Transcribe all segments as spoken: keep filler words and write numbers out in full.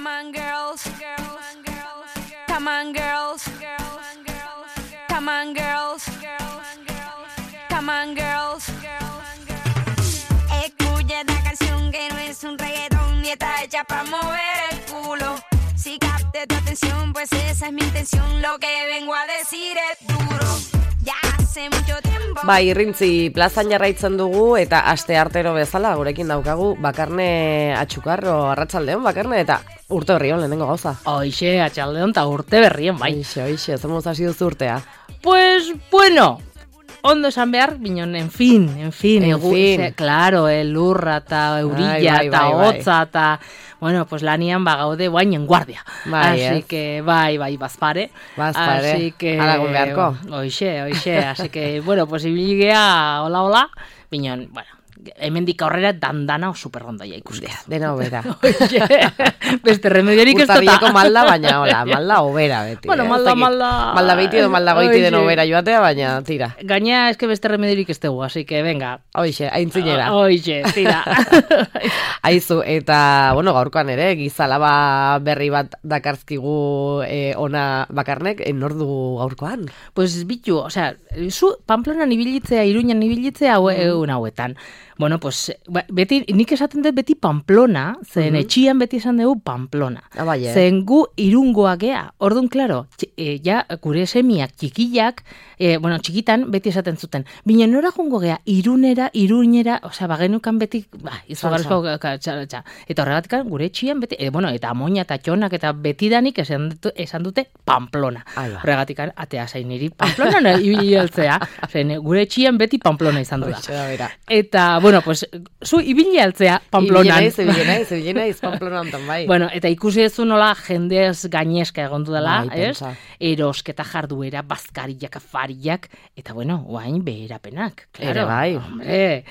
Come on girls, come on girls, come on girls, come on girls. Escucha esta canción que no es un reggaetón ni está hecha para mover el culo. Si capte tu atención, pues esa es mi intención. Lo que vengo a decir es duro. Ya hace mucho tiempo. Bai, Irrintzi plazan jarraitzen dugu eta aste artero bezala gurekin daukagu Bakarne Atxukarro. Arratsaldeon Bakarne eta urte berri on lehenengo gauza. Hoixe, atxaldeon ta urte berrien bai. Hoixe, hoixe, zemuz hasi duzu urtea. Pues bueno, ondo esan behar, binon, en fin, en fin, en egu, fin. Se, claro, elurra eta eurilla bai, eta bai, bai, hotza eta, bueno, pues lanian bagaude guain en guardia. Bai, así ez? que, bai, bai, bazpare. Bazpare, así que, haragun beharko. Hoixe, hoixe, así que, bueno, pues ibiligea, hola, hola, binon, bueno, hemendik aurrera dandana o superrondo ja ikustea. Dena hobera. Oie, beste remediorik ez Urtarriako malda, baina hola, malda hobera beti. Bueno, eh? malda, Zaki, malda... Malda beiti edo malda goiti den Oixe. hobera joatea, baina tira. Gaina eske beste remediorik ez dugu, así que venga. Hoixe, aintzinera. Oixe, tira. Aizu, eta, bueno, gaurkoan ere, gizalaba berri bat dakarzkigu eh, ona Bakarnek, eh, nor dugu gaurkoan? Pues bitu, o sea, zu Pamplonan ibilitzea, Iruñan ibilitzea hau, egun hauetan. Bueno, pues, beti, nik esaten dut beti Pamplona, zen Mhm. etxian beti esan dugu Pamplona. Ah, bai, eh? Zen gu irungoak gea. Orduan, klaro, tx- e, ja, gure semiak txikiak, e, bueno, txikitan beti esaten zuten. Bina nora jungo gea, irunera, iruñera, osea, bagenukan beti, ba, izugarrizko, txa, eta horregatik gure etxian beti, e, bueno, eta amoina eta txonak eta betidanik esan, dut, esan dute Pamplona. Ai, ba. Horregatik atea zain niri Pamplona ibili altzea, zen gure etxian beti Pamplona izan du da. Hoixe da bera. Eta, bueno, pues, zu ibili altzea Pamplonan. Ibili naiz, ibili naiz, ibili naiz Pamplona hontan, bai. Bueno, eta ikusi duzu nola jendez gaineska egon dudala, Bai, ez? pentsa. Erosketa jarduera, bazkariak, afariak, eta bueno, guain beherapenak. Claro, Ere bai. Hombre,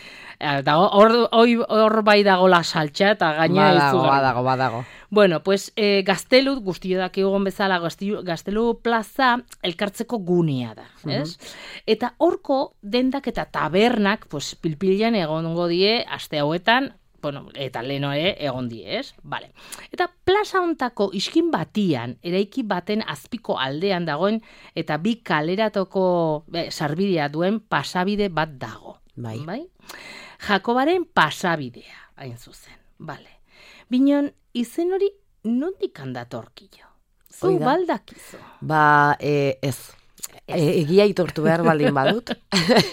dago, hor, hor, hor bai dago la saltxa, eta gaina Badago, izugarri. badago, badago. Bueno, pues eh, Gaztelu, guztio dakigun bezala, Gaztelu, Gaztelu plaza elkartzeko gunea da, ez? Eta horko dendak eta tabernak, pues, pilpilan egongo die, aste hauetan, bueno, eta leno ere egon die, ez? Vale. Eta plaza hontako iskin batian, eraiki baten azpiko aldean dagoen, eta bi kaleratoko be, sarbidea duen pasabide bat dago. Bai. Bai? Jakobaren pasabidea, hain zuzen. Vale. Binon, izen hori nondik handatorkillo? Zu Hoi da. baldakizu. Ba, e, ez. E, egia itortu behar baldin badut,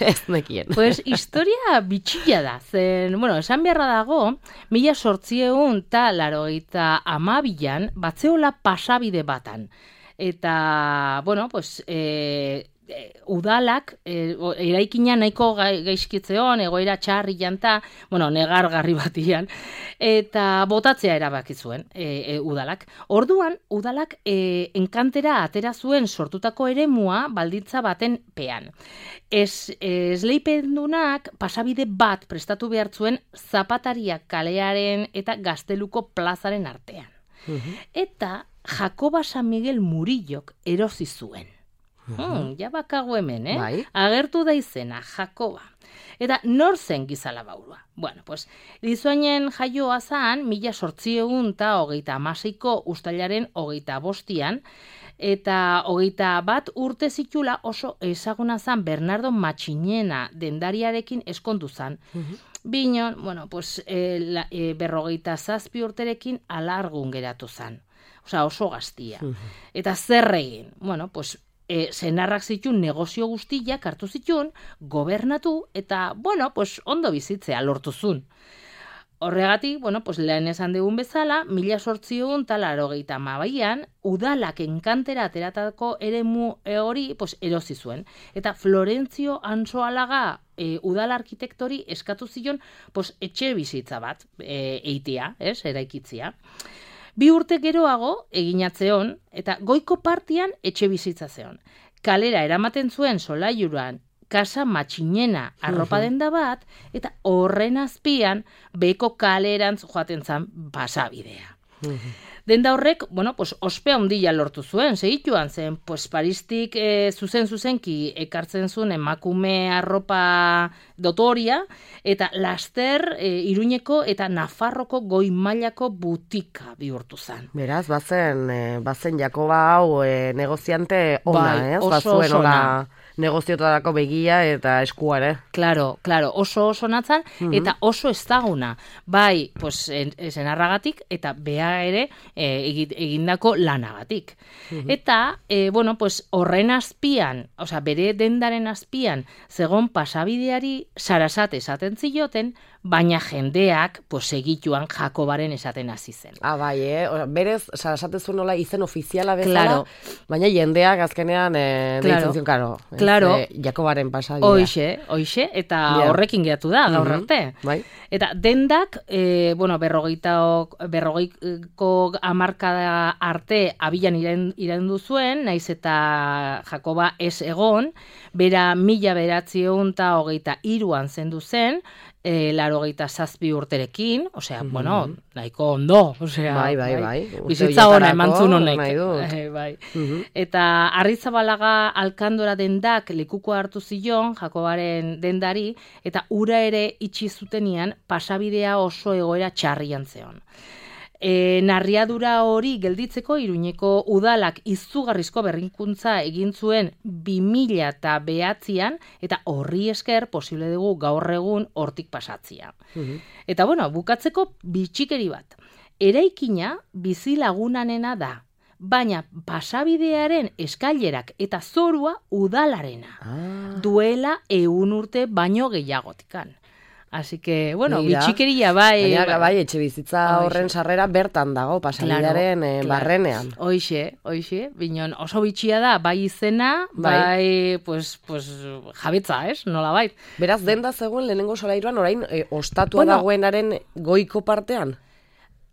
ez nekien. Pues historia bitxilla da, zen, bueno, esan beharra dago, mila sortzieun eta larogeita amabilan, batzeola pasabide batan. Eta, bueno, pues, e, e, udalak, e, eraikina nahiko gaizkitzeon, egoera txarri janta, bueno, negargarri batian, eta botatzea erabaki zuen e, e, udalak. Orduan, udalak e, enkantera atera zuen sortutako eremua balditza baten pean. Ez, esleipendunak pasabide bat prestatu behar zuen Zapatariak kalearen eta Gazteluko plazaren artean. Eta Jakoba San Miguel Murillok erosi zuen. Hmm, ja bakago hemen, eh? Bai. Agertu da izena, Jakoba. Eta nor zen Gizalabaurua? Bueno, pues, Lizuainen jaioa zan, mila sortzieun eta hogeita amaseiko ustailaren hogeita bostian, eta hogeita bat urte zitula oso ezaguna zan Bernardo Matxinena dendariarekin eskondu zan. Binon, bueno, pues, e, la, e, berrogeita zazpi urterekin alargun geratu zan. Osea, oso gaztia. Eta zer egin? Bueno, pues, e, senarrak zitun negozio guztiak hartu zitun, gobernatu, eta, bueno, pues, ondo bizitzea lortuzun. Horregatik, bueno, pues, lehen esan dugun bezala, mila sortzion eta larogeita amabaian, udalak enkantera ateratako eremu hori, pues, erosi zuen. Eta Florentzio Antsoalaga e, udal arkitektori eskatu zion, pues, etxe bizitza bat e, eitea, ez, eraikitzia. Bi urte geroago eginatzeon, eta goiko partian etxe bizitza zeon. Kalera eramaten zuen solaiuran Casa Matxinena arropa denda bat, eta horren azpian beko kalerantz joaten zan pasabidea. Denda horrek, bueno, pues, ospe handia lortu zuen, segituan zen, pues, Paristik e, zuzen zuzenki ekartzen zuen emakume arropa dotoria, eta laster e, Iruñeko eta Nafarroko goi mailako butika bihurtu zen. Beraz, bazen, e, bazen Jakoba hau e, negoziante ona, bai, ez? oso Bazuen oso hola ona. Negoziotarako begia eta eskua ere. Claro, claro, oso oso natzan, mm-hmm. eta oso ezaguna. Bai, pues, senarragatik, eta bea ere e, egindako lanagatik. Mm-hmm. Eta, e, bueno, pues, horren azpian, osea, bere dendaren azpian, zegon pasabideari Sarasate esaten zioten, baina jendeak, pues, egituan Jakobaren esaten hasi zen. Ah, bai, eh? Berez, Sarasate zuen nola izen ofiziala bezala, claro. Baina jendeak azkenean e, claro. deitzen zion, karo. Claro. E, Jakobaren pasabidea. Hoixe, hoixe, eta yeah. horrekin geratu da, gaur mm-hmm. arte. Bai. Eta dendak, e, bueno, berrogeita, berrogeiko hamarkada arte abilan irandu zuen, naiz eta Jakoba ez egon, bera mila bederatziehun eta hogeita hiruan zendu zen, e, larogeita zazpi urterekin, osea, mm-hmm. bueno, nahiko ondo, osea, bai, bai, bai. bizitza hona emantzun honek. E, bai. Mm-hmm. Eta Arrizabalaga alkandora dendak lekukoa hartu zion, Jakobaren dendari, eta ura ere itxi zutenean pasabidea oso egoera txarrian zeon. E, narriadura hori gelditzeko Iruñeko udalak izugarrizko berrikuntza egin zuen bi mila eta behatzian, eta horri esker posible dugu gaur egun hortik pasatzia. Mm-hmm. Eta bueno, bukatzeko bitxikeri bat. Eraikina bizilagunanena da, baina pasabidearen eskailerak eta zorua udalarena. Ah. Duela ehun urte baino gehiagotikan. Así que, bueno, bitxikeria bai... Baina, bai, etxe bizitza horren sarrera bertan dago, pasabidearen claro, eh, claro. barrenean. Hoixe, hoixe, binon oso bitxia da, bai izena, bai, bai pues, pues, jabetza, ez, nola bai. Beraz, denda zegoen lehenengo solairuan, orain, eh, ostatua bueno, dagoenaren goiko partean?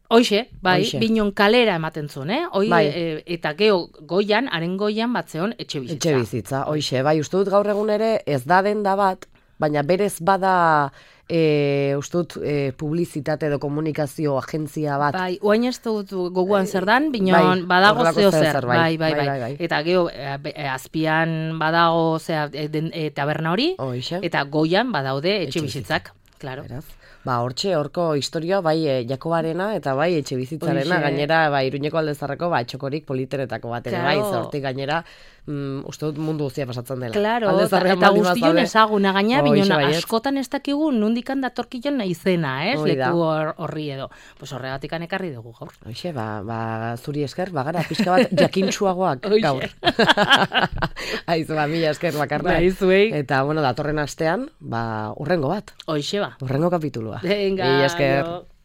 Hoixe, bai, Hoixe. Binon kalera ematen zuen, eh? Hoi, bai. e, eta geho goian, haren goian batzeon etxe bizitza. Etxe bizitza, hoixe, bai, uste dut gaur egun ere ez da denda bat, baina berez bada... E, ustut e, publizitate edo komunikazio agentzia bat. Bai, oain ez dut goguan zer dan, binon bai, badago zeo zer. Bai, bai, bai, bai, bai, bai. Eta geho, e, azpian badago zea, e, e, taberna hori, Oixe. Eta goian badaude etxe bizitzak. Claro. Beraz. Ba, hortxe, horko historia, bai e, Jakobarena eta bai etxe bizitzarena, gainera, bai, Iruñeko aldezarreko, ba, txokorik politeretako bat ere, claro. Bai, zortik gainera, mm, uste dut mundu guztia pasatzen dela. Claro, eta guztion ezaguna gaina, binon, askotan ez dakigu nundikan datorkion izena, ez, leku horri edo. Pues horregatikan ekarri dugu gaur. Hoxe, ba, ba, zuri esker, bagara, pixka bat jakintsuagoak gaur. Aizu, ba, mila esker bakarne. Ba, izuei. Eta, bueno, datorren astean, ba, urrengo bat. Hoxe, ba. Urrengo kapitulua. Venga, mila esker. yo.